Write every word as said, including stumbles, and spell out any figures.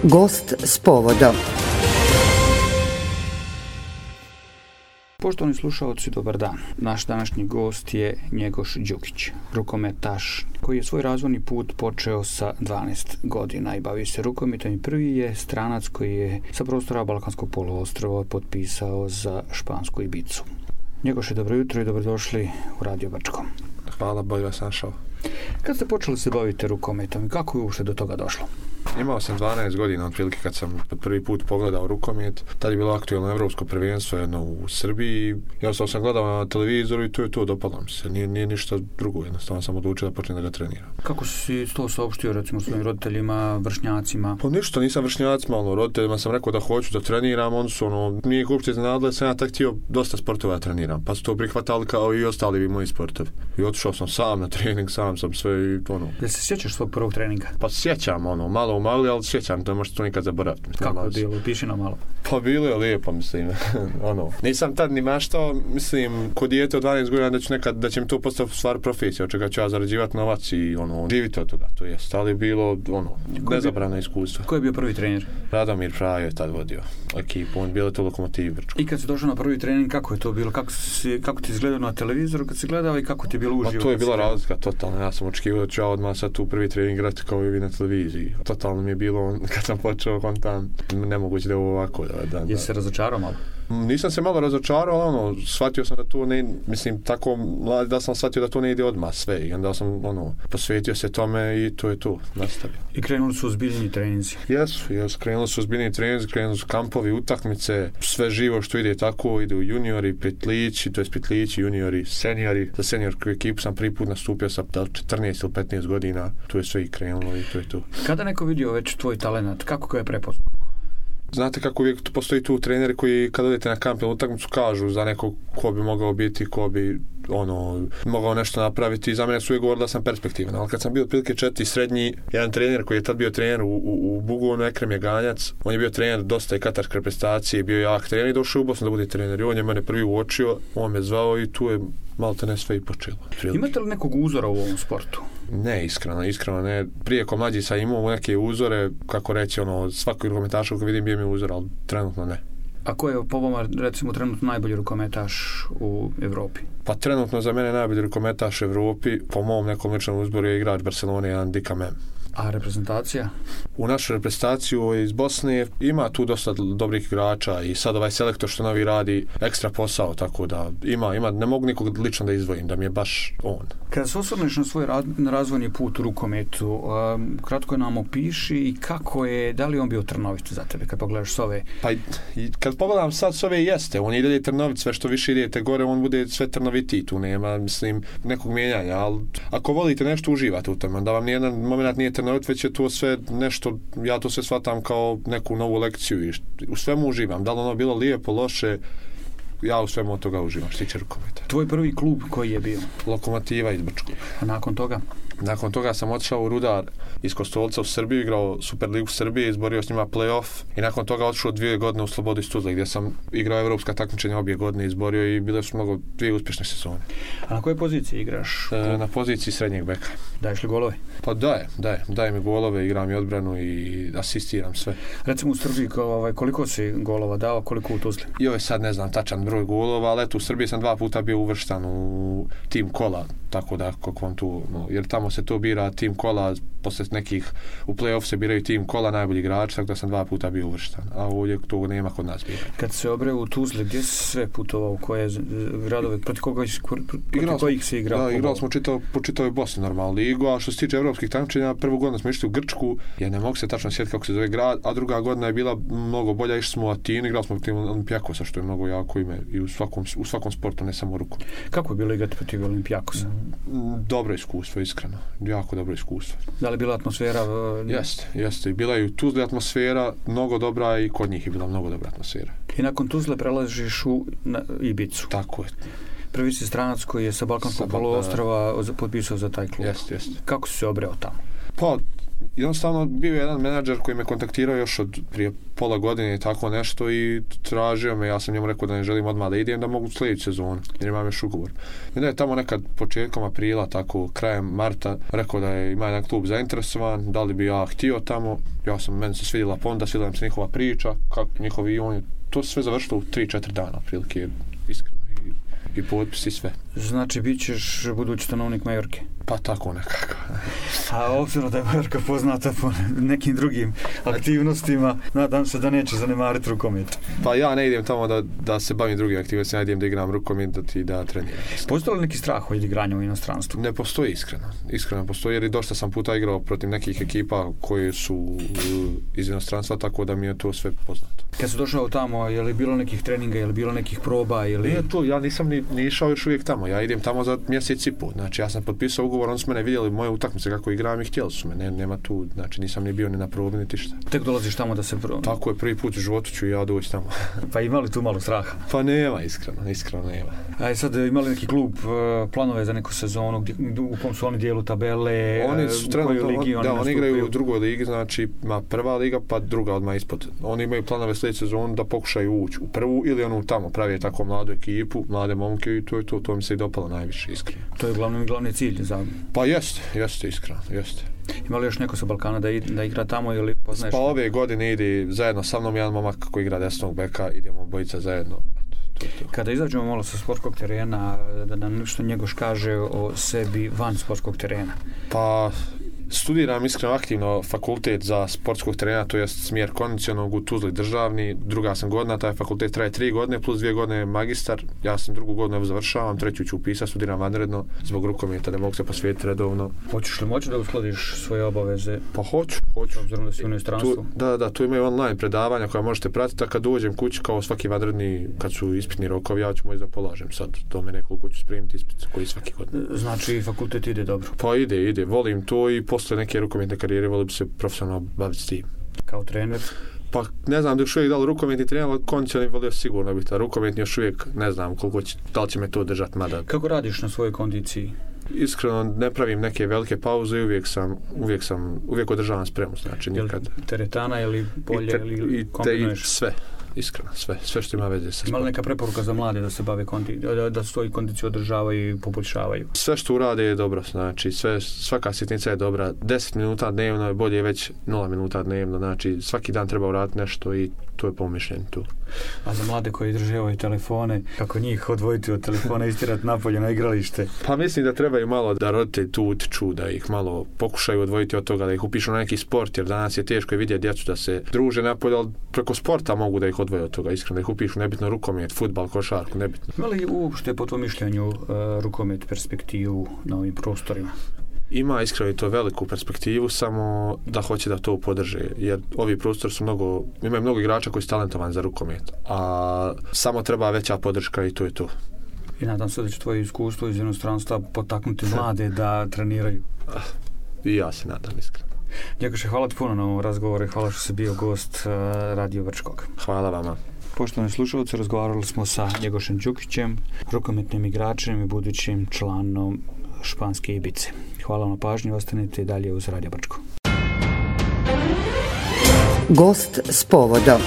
Gost s povodom. Poštovani slušalci, dobar dan. Naš današnji gost je Njegoš Đukić, rukometaš koji je svoj razvojni put počeo sa dvanaest godina i bavio se rukometom i prvi je stranac koji je sa prostora Balkanskog poluostrva potpisao za špansku Ibicu. Njegoše, dobro jutro i dobrodošli u Radio Brčko. Hvala, bolje vas našao. Kad ste počeli se baviti rukometom i kako je uopšte do toga došlo? Imao sam dvanaest godina otprilike kad sam prvi put pogledao rukomet. Tad je bilo aktualno evropsko prvenstvo jedno u Srbiji. Ja sam sam gledao na televizoru i to je to, dopalo mi se. Nije, nije ništa drugo, jednostavno sam odlučio da počnem da ga treniram. Kako si to saopštio recimo svojim roditeljima, vršnjacima? Pa ništa, nisam vršnjacima, ono, roditeljima sam rekao da hoću da treniram, oni su ono, nije ih uopće iznenadilo, sam ja tak htio dosta sportova da treniram, pa su to prihvatali kao i ostali moji sportovi. I otišao sam sam na trening, sam sam sve i ono. Jel se sjećaš svog prvog treninga? Pa sjećam, ono, malo u mali, ali sjećam, to možete to nikad zaboraviti. Kako je bilo? Piši nam malo. Pa bilo je lijepo, mislim, ono. Nisam tad ni maštao, mislim, kod dijete od dvanaest godina da ću nekad, da će mi to postati stvar profesija, od čega ću ja zarađivati novac i ono, živiti od toga, to jest, ali bilo, ono, nezabrano iskustvo. Ko je bio prvi trener? Radomir Prajo je tad vodio ekipu, on bilo to Lokomotiv Brčko. I kad si došao na prvi trening, kako je to bilo? Kako, si, kako ti izgledao na televizoru kad si gledao i kako ti je bilo uživo? Pa to je bila razlika, totalno. Ja sam očekivao da ću ja odmah sad tu prvi trening igrati kao i vi na televiziji. Totalno mi je bilo, kad sam počeo kontam, nemoguće da je ovo ovako. Da, da, da. Jesi se razočarao malo? Nisam se malo razočarao, ono, shvatio sam da to ne, mislim, tako mlad da sam shvatio da to ne ide odmah sve i onda sam, ono, posvetio se tome i to je to, nastavio. I krenuli su ozbiljni treninzi? Jesu, jesu, krenuli su ozbiljni treninzi, krenuli su kampovi, utakmice, sve živo što ide tako, ide u juniori, petlići, to je petlići, juniori, seniori. Za seniorsku ekipu sam prvi put nastupio sa četrnaest ili petnaest godina, tu je sve i krenulo i to je to. Kada neko vidio već tvoj talent, kako ga je prepoznao? Znate kako uvijek postoji tu treneri koji kad odete na kamp ili utakmicu kažu za nekog ko bi mogao biti, ko bi ono, mogao nešto napraviti i za mene su uvijek govorili da sam perspektivan, ali kad sam bio otprilike četiri srednji, jedan trener koji je tad bio trener u, u, u Bugonu, Ekrem Jeganjac, on je bio trener dosta i katarske reprezentacije, bio jak trener i došao u Bosnu da bude trener i on je mene prvi uočio, on me zvao i tu je malo te ne sve i počelo. Imate li nekog uzora u ovom sportu? Ne, iskreno, iskreno ne. Prije ko mlađi sam imao neke uzore, kako reći, ono, svakog rukometaša koji vidim bio mi uzor, ali trenutno ne. A ko je po vama, recimo, trenutno najbolji rukometaš u Evropi? Pa trenutno za mene najbolji rukometaš u Evropi, po mom nekom ličnom uzboru je igrač Barcelone, jedan Dika Mem. A reprezentacija? U našu reprezentaciju iz Bosne ima tu dosta dobrih igrača i sad ovaj selektor što novi radi ekstra posao, tako da ima, ima, ne mogu nikog lično da izdvojim, da mi je baš on. Kada se osvrneš na svoj razvojni put u rukometu, um, kratko nam opiši i kako je, da li on bio trnovit za tebe kad pogledaš s ove? Pa i, kad pogledam sad s ove jeste, on ide trnovit, sve što više idete gore, on bude sve trnovitiji, tu nema, mislim, nekog mijenjanja, ali ako volite nešto, uživate u tome, da vam nijedan moment nije trnovit, već je to sve nešto, ja to sve shvatam kao neku novu lekciju i u svemu uživam, da li ono bilo lijepo, loše, ja u svemu od toga uživam, što tiče rukometa. Tvoj prvi klub koji je bio? Lokomotiva iz Brčkog. A nakon toga? Nakon toga sam otišao u Rudar iz Kostolca u Srbiju, igrao Superligu Srbije, izborio s njima play-off i nakon toga otišao dvije godine u Slobodu iz Tuzle gdje sam igrao evropska takmičenja obje godine, izborio i bile su mnogo dvije uspješne sezone. A na kojoj poziciji igraš? E, na poziciji srednjeg beka. Daješ li golove? Pa daje, daje, daje mi golove, igram i odbranu i asistiram sve. Recimo u Srbiji ovaj, koliko si golova dao, koliko u Tuzli? Joj, sad ne znam tačan broj golova, ali eto u Srbiji sam dva puta bio uvrštan u tim kola, tako da kako vam tu, no, jer tamo se to bira tim kola, posle nekih u play-off se biraju tim kola najbolji igrač, tako da sam dva puta bio uvrštan, a ovdje to nema kod nas biranja. Kad se obreo u Tuzli, gdje si sve putovao, koje gradove, protiv koga protiv kojih si igrao? Da, igrali smo čitao, po čitavoj Bosni normalno ligu, a što se tiče evropskih takmičenja, prvu godinu smo išli u Grčku, ja ne mogu se tačno sjetiti kako se zove grad, a druga godina je bila mnogo bolja, išli smo u Atinu, igrali smo protiv Olimpijakosa, što je mnogo jako ime i u svakom, u svakom sportu, ne samo u ruku. Kako je bilo igrati protiv Olimpijakosa? Dobro iskustvo, iskreno. Jako dobro iskustvo. Da li bila atmosfera? Jeste, jeste. Bila je u Tuzli atmosfera mnogo dobra i kod njih je bila mnogo dobra atmosfera. I nakon Tuzle prelaziš u Ibicu. Tako je. Prvi si stranac koji je sa Balkanskog poluostrva potpisao za taj klub. Jeste, jeste. Kako si se obreo tamo? Pa, jednostavno bio je jedan menadžer koji me kontaktirao još od prije pola godine i tako nešto i tražio me, ja sam njemu rekao da ne želim odmah da idem, da mogu sljedeću sezonu, jer imam još ugovor. I onda je tamo nekad početkom aprila, tako krajem marta, rekao da je ima jedan klub zainteresovan, da li bi ja htio tamo, ja sam, meni se svidjela ponuda, svidjela mi se njihova priča, kako njihovi oni, to se sve završilo u tri četiri dana, prilike, iskreno, i, i potpis i sve. Znači, bit ćeš budući stanovnik Majorke? Pa tako nekako. A obzirom da je Majorka poznata po nekim drugim aktivnostima, nadam se da neće zanemariti rukomet. Pa ja ne idem tamo da, da se bavim drugim aktivnostima, ja idem da igram rukomet, da ti da treniram. Postoji li neki strah od igranja u inostranstvu? Ne postoji, iskreno. Iskreno postoji, jer i dosta sam puta igrao protiv nekih ekipa koje su iz inostranstva, tako da mi je to sve poznato. Kad si došao tamo, je li bilo nekih treninga, je li bilo nekih proba? Je li... Nije to, ja nisam ni, ni išao još uvijek tamo, ja idem tamo za mjesec i pol. Znači, ja sam potpisao ugovor, oni su mene vidjeli moje utakmice kako igram i htjeli su me, ne, nema tu, znači nisam ni bio ni na probi niti šta. Tek dolaziš tamo da se pro... Tako je, prvi put u životu ću ja doći tamo. Pa ima li tu malo straha? Pa nema, iskreno, iskreno nema. A sad ima li neki klub planove za neku sezonu, gdje, u kom su oni dijelu tabele, oni su u kojoj ligi oni Da, oni igraju u drugoj ligi, znači ima prva liga pa druga odmah ispod. Oni imaju planove sljedeće sezonu da pokušaju ući u prvu ili onu tamo, pravi tako mladu ekipu, mlade momke i to je to, to mi se i dopalo najviše, iskreno. To je glavni, glavni cilj za... Pa jeste, jeste, iskreno, jeste. Ima li još neko sa Balkana da, da igra tamo ili poznaješ? Pa ove godine ide zajedno sa mnom jedan momak koji igra desnog beka, idemo bojica zajedno. To, to. Kada izađemo malo sa sportskog terena, da nam nešto Njegoš kaže o sebi van sportskog terena. Pa studiram iskreno aktivno fakultet za sportskog terena, to je smjer kondicionalnog u Tuzli državni, druga sam godina, taj fakultet traje tri godine plus dvije godine magistar, ja sam drugu godinu evo završavam, treću ću upisati, studiram vanredno zbog rukometa, da mogu se posvetiti redovno. Hoćeš li moći da uskladiš svoje obaveze? Pa hoću, hoću. Obzirom da si u inostranstvu? Da, da, tu imaju online predavanja koja možete pratiti, a kad dođem kući kao svaki vanredni, kad su ispitni rokovi, ja ću moći da polažem sad, do me nekoliko ću spremiti ispit koji svaki godin. Znači fakultet ide dobro? Pa ide, ide, volim to i posle neke rukometne karijere volim bi se profesionalno baviti s tim. Kao trener? Pa ne znam da još uvijek da li rukometni trener, ali kondicionalni volio sigurno biti, a rukometni još uvijek ne znam koliko će, da li će me to držati, mada. Kako radiš na svojoj kondiciji? Iskreno ne pravim neke velike pauze i uvijek sam, uvijek sam, uvijek održavam spremu, znači nikad. Jel teretana ili polje te, ili kombinuješ? I sve. Iskreno, sve, sve što ima veze sa sportom. Ima li neka preporuka za mlade da se bave kondi, da, da svoju kondiciju održavaju i poboljšavaju? Sve što urade je dobro, znači sve, svaka sitnica je dobra. deset minuta dnevno je bolje već nula minuta dnevno, znači svaki dan treba uraditi nešto i to je pomišljen tu. A za mlade koji drže ove telefone, kako njih odvojiti od telefona i istirati napolje na igralište? Pa mislim da trebaju malo da roditelji tu utiču, da ih malo pokušaju odvojiti od toga, da ih upišu na neki sport, jer danas je teško vidjeti djecu da se druže napolje, ali preko sporta mogu da ih odvoje od toga, iskreno, da ih upišu, nebitno rukomet, fudbal, košarku, nebitno. Ima li uopšte po tvojom mišljenju uh, rukomet perspektivu na ovim prostorima? Ima iskreno i to veliku perspektivu, samo da hoće da to podrže, jer ovi prostori su mnogo, imaju mnogo igrača koji su talentovani za rukomet, a samo treba veća podrška i to je to. I nadam se da će tvoje iskustvo iz inostranstva potaknuti mlade da treniraju. I ja se nadam, iskreno. Njegoše, hvala ti puno na ovom razgovoru i hvala što si bio gost uh, Radio Brčkog. Hvala vama. Poštovani slušalci, razgovarali smo sa Njegošem Đukićem, rukometnim igračem i budućim članom Španske Ibice. Hvala na pažnji, ostanite i dalje uz Radio Brčko. Gost s povodom.